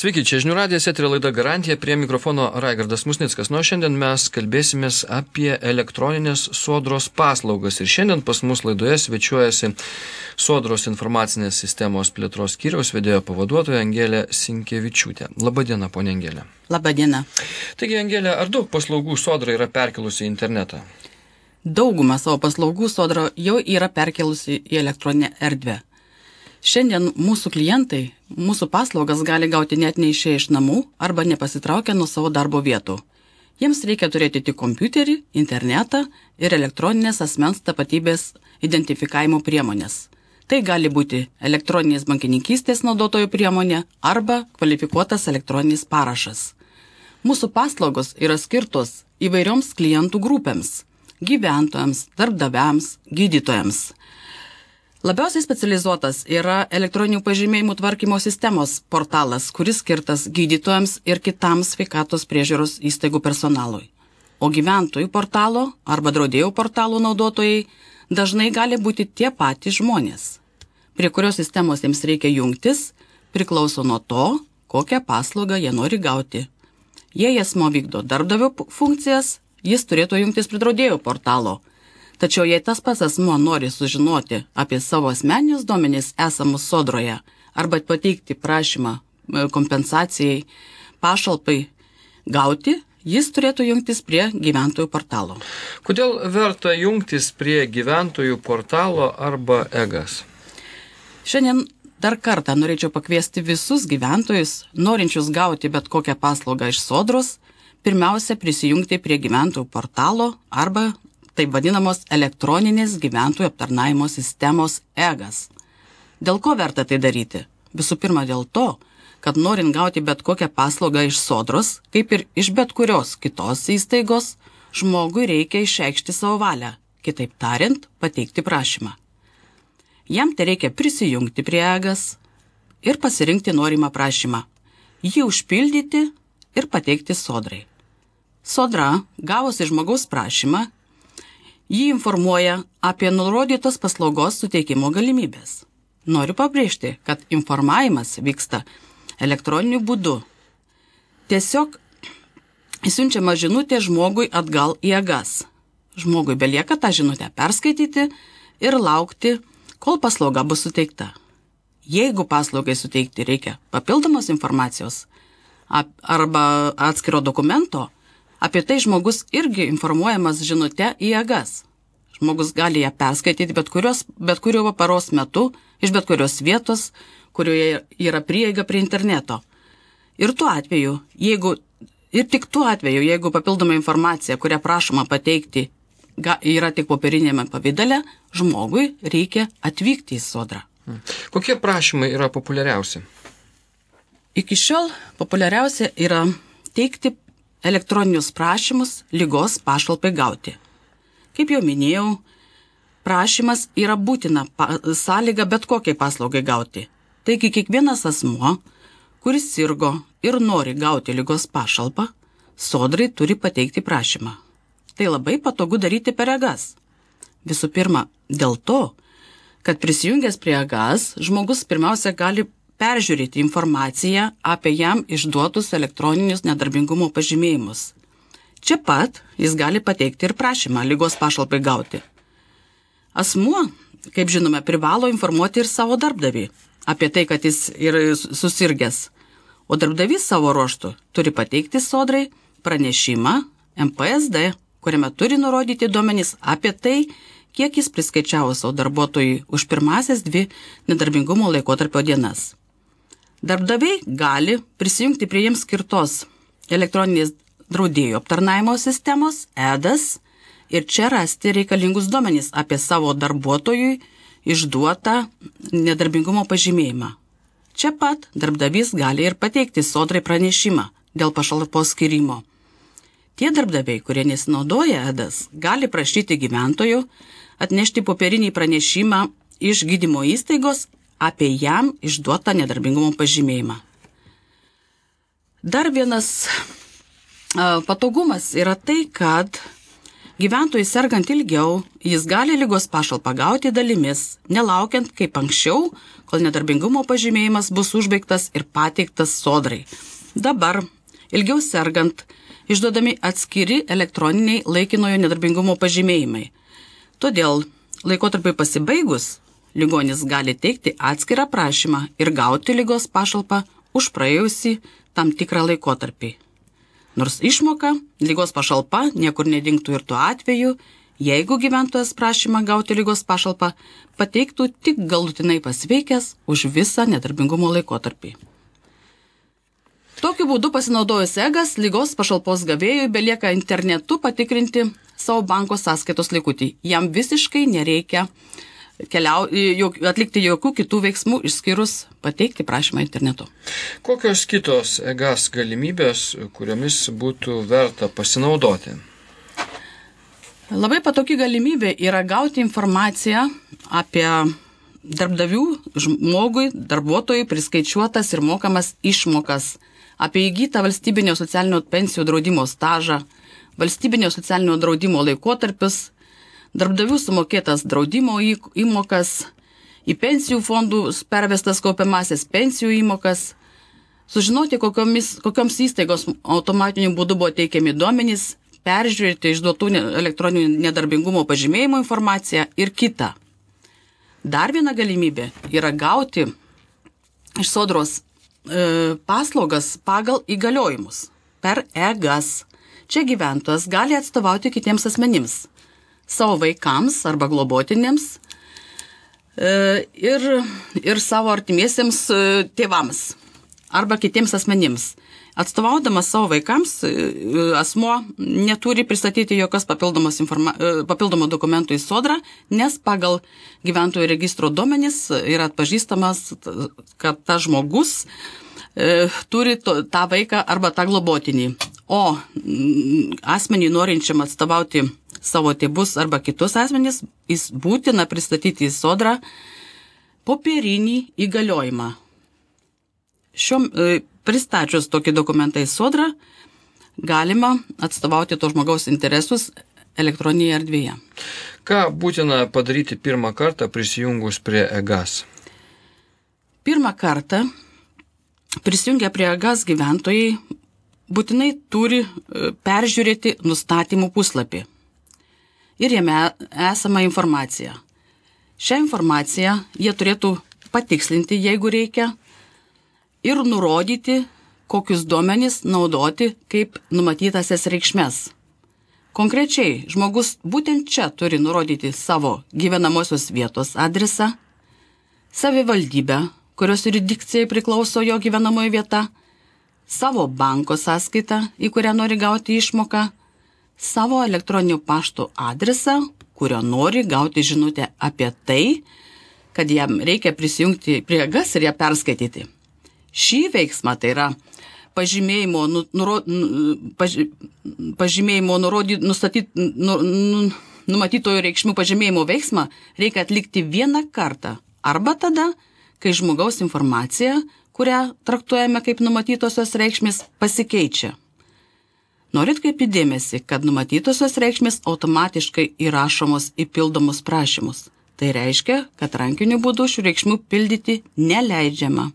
Sveiki, čia Žinių radijas, eterio laida Garantija, prie mikrofono Raigardas Musnickas. Šiandien mes kalbėsimės apie elektroninės sodros paslaugas. Ir šiandien pas mus laidoje svečiuojasi Sodros informacinės sistemos plėtros skyriaus vedėjo pavaduotoja Angelė Sinkevičiūtė. Labadiena, ponia Angelė. Labadiena. Taigi, Angelė, ar daug paslaugų Sodra yra perkelusi į internetą? Daugumą savo paslaugų Sodra jau yra perkelusi į elektroninę erdvę. Šiandien mūsų klientai mūsų paslaugas gali gauti net neišėję iš namų arba nepasitraukę nuo savo darbo vietų. Jiems reikia turėti tik kompiuterį, internetą ir elektroninės asmens tapatybės identifikavimo priemonės. Tai gali būti elektroninės bankininkystės naudotojų priemonė arba kvalifikuotas elektroninis parašas. Mūsų paslaugos yra skirtos įvairioms klientų grupėms – gyventojams, darbdaviams, gydytojams. Labiausiai specializuotas yra elektroninių pažymėjimų tvarkymo sistemos portalas, kuris skirtas gydytojams ir kitams sveikatos priežiūros įstaigų personalui. O gyventojų portalo arba draudėjų portalų naudotojai dažnai gali būti tie patys žmonės. Prie kurios sistemos jiems reikia jungtis, priklauso nuo to, kokią paslaugą jie nori gauti. Jei asmuo vykdo darbdavio funkcijas, jis turėtų jungtis prie draudėjų portalo. Tačiau jei tas pats asmuo nori sužinoti apie savo asmeninius duomenis esamus Sodroje arba pateikti prašymą kompensacijai, pašalpai gauti, jis turėtų jungtis prie gyventojų portalo. Kodėl verta jungtis prie gyventojų portalo arba EGAS? Šiandien dar kartą norėčiau pakviesti visus gyventojus, norinčius gauti bet kokią paslaugą iš Sodros, pirmiausia prisijungti prie gyventojų portalo arba taip vadinamos elektroninės gyventojų aptarnavimo sistemos EGAS. Dėl ko verta tai daryti? Visų pirma dėl to, kad norint gauti bet kokią paslaugą iš Sodros, kaip ir iš bet kurios kitos įstaigos, žmogui reikia išreikšti savo valią, kitaip tariant, pateikti prašymą. Jam tai reikia prisijungti prie EGAS ir pasirinkti norimą prašymą, jį užpildyti ir pateikti Sodrai. Sodra, gavusi žmogaus prašymą, jį informuoja apie nurodytos paslaugos suteikimo galimybės. Noriu pabrėžti, kad informavimas vyksta elektroniniu būdu. Tiesiog siunčiama žinutė žmogui atgal į EGAS. Žmogui belieka tą žinutę perskaityti ir laukti, kol paslauga bus suteikta. Jeigu paslaugai suteikti reikia papildomos informacijos arba atskiro dokumento, apie tai žmogus irgi informuojamas žinute į EGAS. Žmogus gali ją perskaityti bet kurio paros metu, iš bet kurios vietos, kurioje yra prieiga prie interneto. Ir tik tuo atveju, jeigu papildoma informacija, kurią prašoma pateikti, yra tik popierinėme pavidale, žmogui reikia atvykti į Sodrą. Kokie prašymai yra populiariausi? Iki šiol populiariausia yra teikti elektroninius prašymus ligos pašalpai gauti. Kaip jau minėjau, prašymas yra būtina sąlyga bet kokiai paslaugai gauti. Taigi kiekvienas asmuo, kuris sirgo ir nori gauti ligos pašalpą, Sodrai turi pateikti prašymą. Tai labai patogu daryti per EGAS. Visų pirma, dėl to, kad prisijungęs prie EGAS, žmogus pirmiausia gali peržiūrėti informaciją apie jam išduotus elektroninius nedarbingumo pažymėjimus. Čia pat jis gali pateikti ir prašymą ligos pašalpai gauti. Asmuo, kaip žinome, privalo informuoti ir savo darbdavį apie tai, kad jis yra susirgęs, o darbdavys savo ruožtu turi pateikti Sodrai pranešimą MPSD, kuriame turi nurodyti duomenys apie tai, kiek jis priskaičiavo savo darbuotojui už pirmasias 2 nedarbingumo laikotarpio dienas. Darbdaviai gali prisijungti prie jiems skirtos elektroninės draudėjų aptarnavimo sistemos EDAS ir čia rasti reikalingus duomenys apie savo darbuotojui išduotą nedarbingumo pažymėjimą. Čia pat darbdavys gali ir pateikti Sodrai pranešimą dėl pašalpos skyrimo. Tie darbdaviai, kurie nesinaudoja EDAS, gali prašyti gyventojų atnešti popierinį pranešimą iš gydymo įstaigos apie jam išduotą nedarbingumo pažymėjimą. Dar vienas patogumas yra tai, kad Gyventojui sergant ilgiau, jis gali ligos pašalpą gauti dalimis, nelaukiant kaip anksčiau, kol nedarbingumo pažymėjimas bus užbaigtas ir pateiktas sodrai. Dabar, ilgiau sergant, išduodami atskiri elektroniniai laikinojo nedarbingumo pažymėjimai. Todėl, laikotarpiui pasibaigus, ligonis gali teikti atskirą prašymą ir gauti ligos pašalpą už praėjusį tam tikrą laikotarpį. Nors išmoka, ligos pašalpa niekur nedingtų ir tuo atveju, jeigu gyventojas prašymą gauti ligos pašalpą pateiktų tik galutinai pasveikęs už visą nedarbingumo laikotarpį. Tokiu būdu pasinaudojus EGAS, ligos pašalpos gavėjui belieka internetu patikrinti savo banko sąskaitos likutį. Jam visiškai nereikia atlikti jokių kitų veiksmų, išskyrus pateikti prašymą internetu. Kokios kitos EGAS galimybės, kuriomis būtų verta pasinaudoti? Labai patogi galimybė yra gauti informaciją apie darbdavių žmogui, darbuotojui priskaičiuotas ir mokamas išmokas, apie įgytą valstybinio socialinio pensijų draudimo stažą, valstybinio socialinio draudimo laikotarpius, darbdavių sumokėtas draudimo įmokas, į pensijų fondų pervestas kaupiamasias pensijų įmokas, sužinoti, kokioms įstaigos automatiniu būdu buvo teikiami duomenys, peržiūrėti išduotų elektroninių nedarbingumo pažymėjimų informaciją ir kita. Dar viena galimybė yra gauti iš sodros paslaugas pagal įgaliojimus per EGAS. Čia gyventojas gali atstovauti kitiems asmenims, savo vaikams arba globotinėms ir savo artimiesiems tėvams arba kitiems asmenims. Atstovaudamas savo vaikams, asmuo neturi pristatyti jokios papildomų dokumentų į sodrą, nes pagal gyventojų registro duomenis yra atpažįstamas, kad tas žmogus turi tą vaiką arba tą globotinį. O asmenį norinčiam atstovauti savo tėvus arba kitus asmenys, jis būtina pristatyti į sodrą popierinį įgaliojimą. Pristačius tokį dokumentą į sodrą, galima atstovauti to žmogaus interesus elektroninėje erdvėje. Ką būtina padaryti pirmą kartą prisijungus prie EGAS? Pirmą kartą prisijungę prie EGAS gyventojai būtinai turi peržiūrėti nustatymų puslapį. Ir jame esama informacija. Šią informaciją jie turėtų patikslinti, jeigu reikia, ir nurodyti, kokius duomenys naudoti kaip numatytasias reikšmes. Konkrečiai, žmogus būtent čia turi nurodyti savo gyvenamosios vietos adresą, savivaldybę, kurios jurisdikcijai priklauso jo gyvenamoji vieta, savo banko sąskaitą, į kurią nori gauti išmoką, savo elektroninių paštų adresą, kurio nori gauti žinutę apie tai, kad jam reikia prisijungti prie EGAS ir ją perskaityti. Šį veiksmą, tai yra numatytojų reikšmių pažymėjimo veiksmą, reikia atlikti vieną kartą arba tada, kai žmogaus informacija, kurią traktuojame kaip numatytosios reikšmės, pasikeičia. Norit kaip įdėmėsi, kad numatytosios reikšmės automatiškai įrašomos į pildomus prašymus. Tai reiškia, kad rankiniu būdu šių reikšmių pildyti neleidžiama.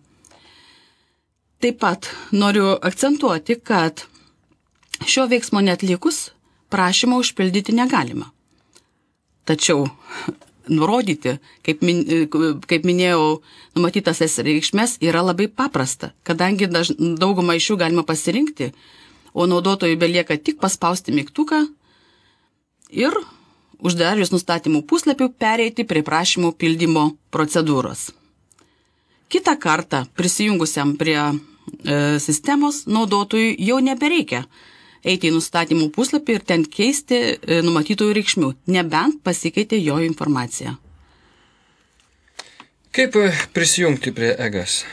Taip pat noriu akcentuoti, kad šio veiksmo neatlikus prašymą užpildyti negalima. Tačiau nurodyti, kaip minėjau, numatytasias reikšmes yra labai paprasta, kadangi daugumą iš jų galima pasirinkti, o naudotojui belieka tik paspausti mygtuką ir uždarius nustatymų puslapių pereiti prie prašymų pildymo procedūros. Kitą kartą prisijungusiam prie sistemos naudotojui jau nebereikia eiti į nustatymų puslapį ir ten keisti numatytojų reikšmių, nebent pasikeitė jo informacija. Kaip prisijungti prie EGAS?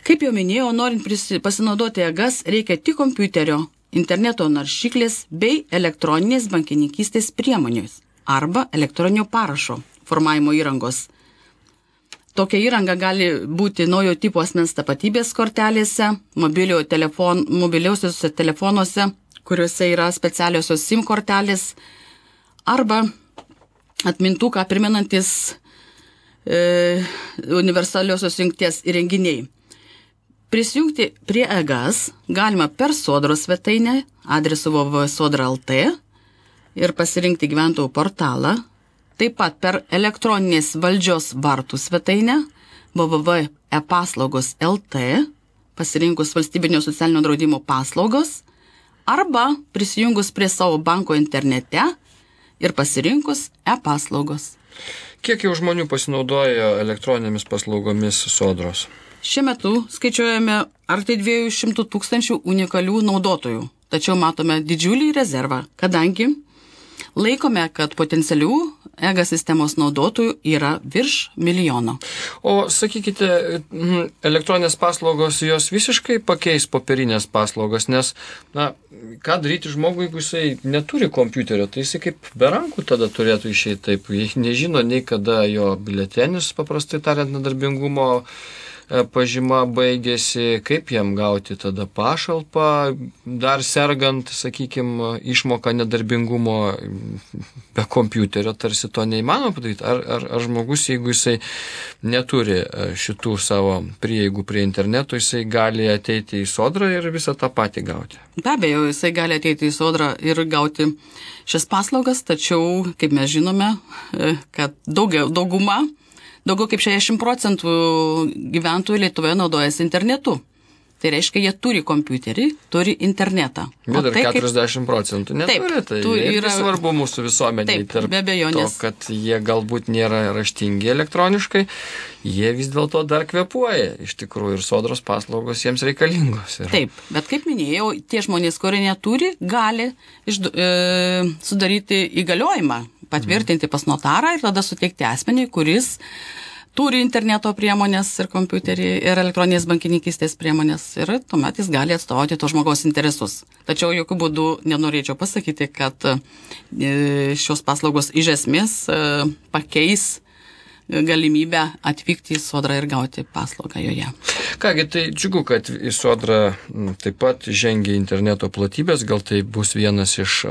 Kaip jau minėjau, norint pasinaudoti EGAS, reikia tik kompiuterio, interneto naršyklės bei elektroninės bankininkystės priemonės arba elektroninio parašo formavimo įrangos. Tokia įranga gali būti naujo tipo asmens tapatybės kortelėse, mobiliausiuose telefonuose, kuriuose yra specialiosios SIM kortelės arba atmintuką primenantis universaliosios jungties įrenginiai. Prisijungti prie EGAS galima per Sodros svetainę adresu www.sodra.lt ir pasirinkti gyventojų portalą, taip pat per elektroninės valdžios vartų svetainę www.epaslaugos.lt pasirinkus valstybinio socialinio draudimo paslaugos arba prisijungus prie savo banko internete ir pasirinkus e-paslaugos. Kiek jau žmonių pasinaudojo elektroninėmis paslaugomis Sodros? Šiuo metu skaičiuojame arti 200 000 unikalių naudotojų, tačiau matome didžiulį rezervą, kadangi laikome, kad potencialių EGA sistemos naudotojų yra virš 1 milijono. O sakykite, elektroninės paslaugos jos visiškai pakeis popierinės paslaugas, nes, ką daryti žmogui, jeigu jisai neturi kompiuterio, tai jisai kaip be rankų tada turėtų išeiti taip, nežino nei kada jo biuletenis, paprastai tariant, nedarbingumo pažyma baigėsi, kaip jam gauti tada pašalpą, dar sergant, sakykime, išmoką nedarbingumo be kompiuterio, tarsi to neįmanoma padaryti. Ar žmogus, jeigu jisai neturi šitų savo prieigų prie interneto, jisai gali ateiti į Sodrą ir visą tą patį gauti? Be abejo, jisai gali ateiti į Sodrą ir gauti šias paslaugas, tačiau, kaip mes žinome, kad daugiau kaip 60% gyventojų Lietuvoje naudojasi internetu. Tai reiškia, jie turi kompiuterį, turi internetą. Bet ir 40% neturi, tai yra svarbu mūsų visuomeniai. Taip, be abejonės. To, kad jie galbūt nėra raštingi elektroniškai, jie vis dėlto dar kvėpuoja. Iš tikrųjų, ir Sodros paslaugos jiems reikalingos. Taip, bet kaip minėjau, tie žmonės, kurie neturi, gali sudaryti įgaliojimą, patvirtinti pas notarą ir tada suteikti asmeniui, kuris turi interneto priemonės ir kompiuterį ir elektroninės bankininkystės priemonės ir tuomet jis gali atstovauti to žmogaus interesus. Tačiau jokių būdų nenorėčiau pasakyti, kad šios paslaugos iš esmės pakeis galimybę atvykti į Sodrą ir gauti paslaugą joje. Kągi, tai džiugu, kad į Sodrą taip pat žengia interneto platybės, gal tai bus viena iš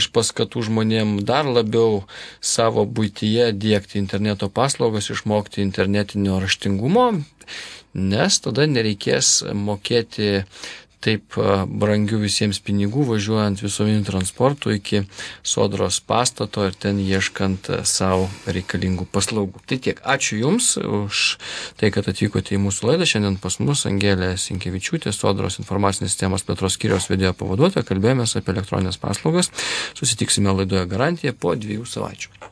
paskatų žmonėm dar labiau savo buityje diegti interneto paslaugas, išmokti internetinio raštingumo, nes tada nereikės mokėti taip brangių visiems pinigų, važiuojant visuomeniniu transportu iki Sodros pastato ir ten ieškant savo reikalingų paslaugų. Tai tiek. Ačiū Jums už tai, kad atvykote į mūsų laidą. Šiandien pas mus Angelė Sinkevičiūtė, Sodros informacinės sistemos plėtros skyriaus vedėjo pavaduotoja. Kalbėjomės apie elektroninės paslaugas. Susitiksime laidoje Garantija po 2 savaičių.